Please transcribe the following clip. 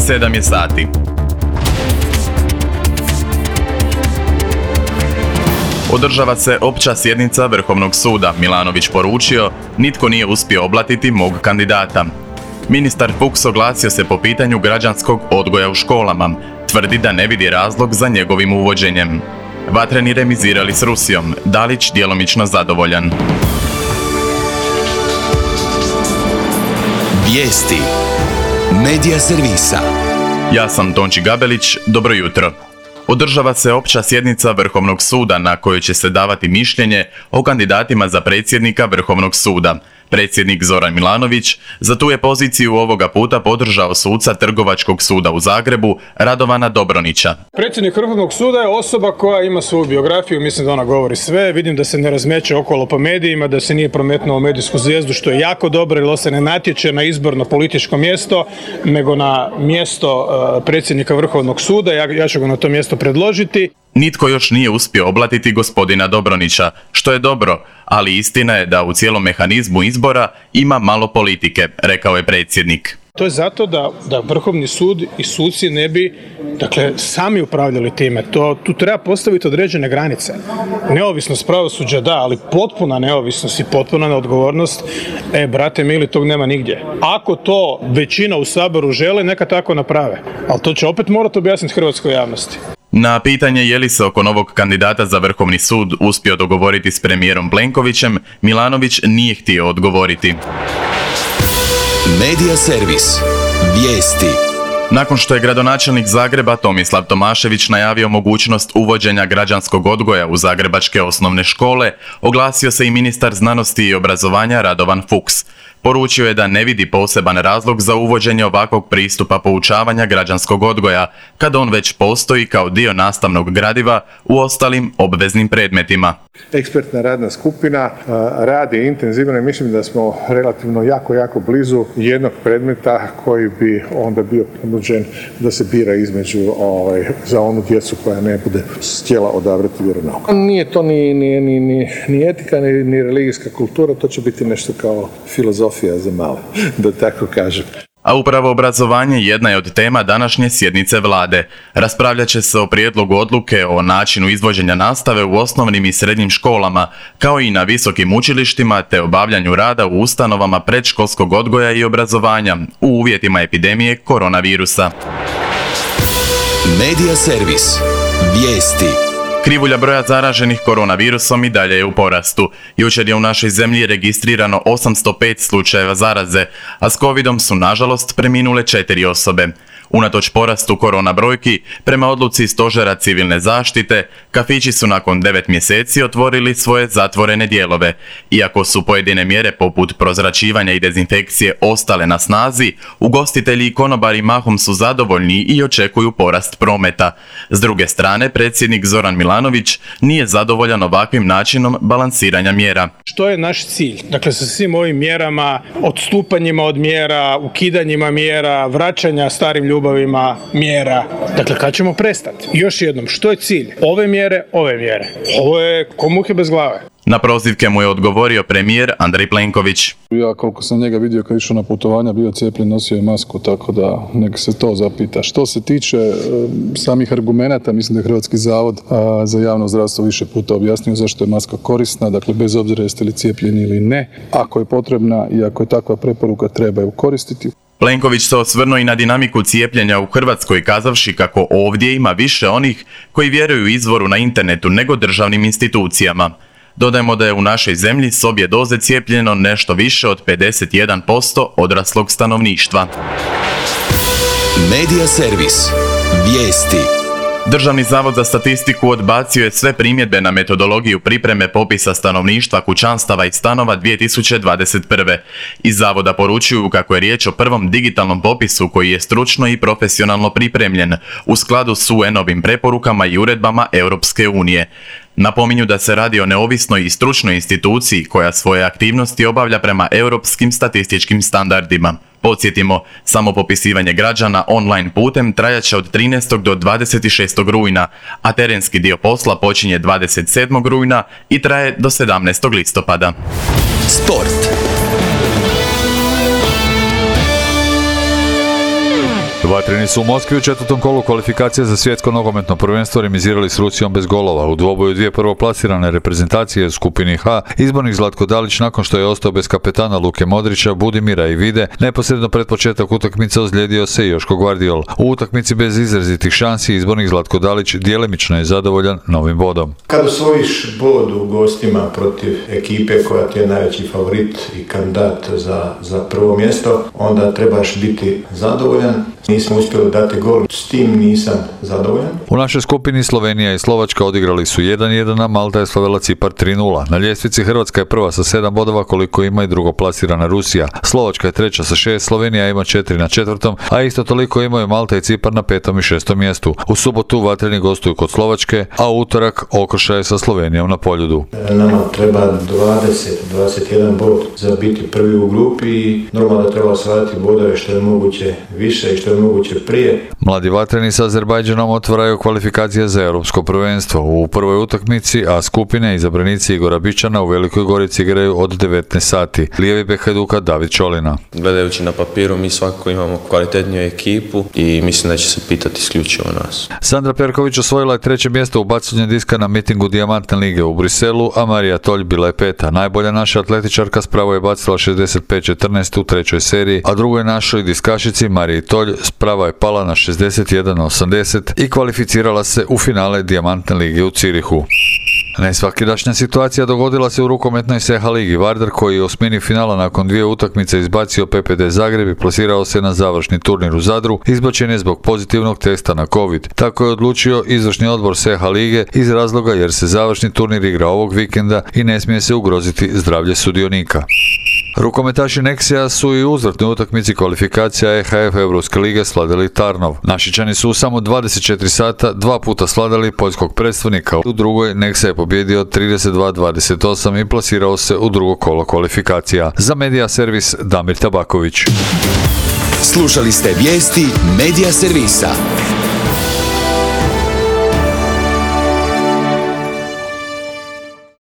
7 je sati. Održava se opća sjednica Vrhovnog suda. Milanović poručio, nitko nije uspio oblatiti mog kandidata. Ministar Fuchs oglasio se po pitanju građanskog odgoja u školama. Tvrdi da ne vidi razlog za njegovim uvođenjem. Vatreni remizirali s Rusijom. Dalić djelomično zadovoljan. Vijesti Medija servisa. Ja sam Tonči Gabelić, dobro jutro. Održava se opća sjednica Vrhovnog suda na kojoj će se davati mišljenje o kandidatima za predsjednika Vrhovnog suda. Predsjednik Zoran Milanović za tu je poziciju ovoga puta podržao suca Trgovačkog suda u Zagrebu Radovana Dobronića. Predsjednik Vrhovnog suda je osoba koja ima svoju biografiju, mislim da ona govori sve, vidim da se ne razmeće okolo po medijima, da se nije prometnuo medijsku zvijezdu, što je jako dobro, jer se ne natječe na izborno političko mjesto, nego na mjesto predsjednika Vrhovnog suda, ja ću ga na to mjesto predložiti. Nitko još nije uspio oblatiti gospodina Dobronića, što je dobro, ali istina je da u cijelom mehanizmu izbora ima malo politike, rekao je predsjednik. To je zato da Vrhovni sud i suci ne bi, sami upravljali time. Tu treba postaviti određene granice. Neovisnost pravosuđa da, ali potpuna neovisnost i potpuna neodgovornost, brate mili, tog nema nigdje. Ako to većina u Saboru žele, neka tako naprave. Ali to će opet morati objasniti hrvatskoj javnosti. Na pitanje je li se oko novog kandidata za Vrhovni sud uspio dogovoriti s premijerom Plenkovićem, Milanović nije htio odgovoriti. Medija servis. Vijesti. Nakon što je gradonačelnik Zagreba Tomislav Tomašević najavio mogućnost uvođenja građanskog odgoja u zagrebačke osnovne škole, oglasio se i ministar znanosti i obrazovanja Radovan Fuchs. Poručio je da ne vidi poseban razlog za uvođenje ovakvog pristupa poučavanja građanskog odgoja, kad on već postoji kao dio nastavnog gradiva u ostalim obveznim predmetima. Ekspertna radna skupina radi intenzivno i mislim da smo relativno jako blizu jednog predmeta koji bi onda bio ponuđen da se bira između za onu djecu koja ne bude htjela odabrati vjeronauk. Nije to ni etika, ni religijska kultura, to će biti nešto kao filozofija za male, da tako kažem. A upravo obrazovanje jedna je od tema današnje sjednice vlade. Raspravljat će se o prijedlogu odluke o načinu izvođenja nastave u osnovnim i srednjim školama, kao i na visokim učilištima te obavljanju rada u ustanovama predškolskog odgoja i obrazovanja u uvjetima epidemije koronavirusa. Medija servis. Vijesti. Krivulja broja zaraženih koronavirusom i dalje je u porastu. Jučer je u našoj zemlji registrirano 805 slučajeva zaraze, a s covidom su nažalost preminule 4 osobe. Unatoč porastu korona brojki, prema odluci Stožera civilne zaštite, kafići su nakon 9 mjeseci otvorili svoje zatvorene dijelove. Iako su pojedine mjere poput prozračivanja i dezinfekcije ostale na snazi, ugostitelji i konobari mahom su zadovoljni i očekuju porast prometa. S druge strane, predsjednik Zoran Milanović nije zadovoljan ovakvim načinom balansiranja mjera. Što je naš cilj? Sa svim ovim mjerama, odstupanjima od mjera, ukidanjima mjera, vraćanja starim ljubavima mjera. Kad ćemo prestati? Još jednom, što je cilj? Ove mjere. Ovo je ko muhe bez glave. Na prozivke mu je odgovorio premijer Andrej Plenković. Ja koliko sam njega vidio kad je išao na putovanja, bio cijepljen, nosio je masku, tako da nek se to zapita. Što se tiče samih argumenata, mislim da je Hrvatski zavod za javno zdravstvo više puta objasnio zašto je maska korisna, bez obzira jeste li cijepljeni ili ne. Ako je potrebna i ako je takva preporuka, treba ju koristiti. Plenković se osvrnuo i na dinamiku cijepljenja u Hrvatskoj, kazavši kako ovdje ima više onih koji vjeruju izvoru na internetu nego državnim institucijama. Dodajmo da je u našoj zemlji s obje doze cijepljeno nešto više od 51% odraslog stanovništva. Medija servis. Vijesti. Državni zavod za statistiku odbacio je sve primjedbe na metodologiju pripreme popisa stanovništva, kućanstava i stanova 2021. Iz zavoda poručuju kako je riječ o prvom digitalnom popisu koji je stručno i profesionalno pripremljen u skladu s UN-ovim preporukama i uredbama Europske unije. Napominju da se radi o neovisnoj i stručnoj instituciji koja svoje aktivnosti obavlja prema europskim statističkim standardima. Podsjetimo, samo popisivanje građana online putem trajaće od 13. do 26. rujna, a terenski dio posla počinje 27. rujna i traje do 17. listopada. Sport. Vatreni su u Moskvi u četvrtom kolu kvalifikacije za svjetsko nogometno prvenstvo remizirali s Rusijom bez golova. U dvoboju dvije prvoplasirane reprezentacije u skupini H izbornik Zlatko Dalić, nakon što je ostao bez kapetana Luke Modrića, Budimira i Vide, neposredno pred početak utakmice ozlijedio se Joško Gvardiol. U utakmici bez izrazitih šansi izbornik Zlatko Dalić djelimično je zadovoljan novim bodom. Kad osvojiš bod u gostima protiv ekipe koja ti je najveći favorit i kandidat za prvo mjesto, onda trebaš biti zadovoljan. Nismo uspjeli dati gol, s tim nisam zadovoljan. U našoj skupini Slovenija i Slovačka odigrali su 1-1, a Malta je slavila Cipar 3-0. Na ljestvici Hrvatska je prva sa 7 bodova, koliko ima i drugoplasirana Rusija. Slovačka je treća sa 6, Slovenija ima 4 na 4, a isto toliko imaju Malta i Cipar na 5. i 6. mjestu. U subotu Vatreni gostuju kod Slovačke, a u utorak okršaj sa Slovenijom na Poljudu. Nama treba 21 bod za biti prvi u grupi i normalno da treba osvajati bodove što je moguće više i što je moguće prije. Mladi Vatreni sa Azerbajdžanom otvaraju kvalifikacije za europsko prvenstvo. U prvoj utakmici A skupine izabranici Igora Bičana u Velikoj Gorici igraju od 19 sati. Lijevi bek Hajduka David Čolina. Gledajući na papiru, mi svakako imamo kvalitetniju ekipu i mislim da će se pitati isključivo nas. Sandra Perković osvojila je 3. mjesto u bacanju diska na mitingu Dijamantne lige u Briselu, a Marija Tolj bila je 5. Najbolja naša atletičarka spravo je bacila 65-14 u trećoj seriji, a drugoj našoj diskašici Mariji Tolj sprava je pala na 61-80 i kvalificirala se u finale Dijamantne lige u Cirihu. Nesvakidašnja situacija dogodila se u rukometnoj SEHA ligi. Vardar, koji je u osmini finala nakon 2 utakmice izbacio PPD Zagreb i plasirao se na završni turnir u Zadru, izbačen je zbog pozitivnog testa na COVID. Tako je odlučio izvršni odbor SEHA lige iz razloga jer se završni turnir igra ovog vikenda i ne smije se ugroziti zdravlje sudionika. Rukometaši Nexia su i u uzvratnoj utakmici kvalifikacija EHF Europske lige sladili Tarnov. Našičani su u samo 24 sata 2 puta sladili poljskog predstavnika. U drugoj Nexia je pobjedio 32-28 i plasirao se u drugo kolo kvalifikacija. Za Medija Servis Damir Tabaković. Slušali ste vijesti Medija Servisa.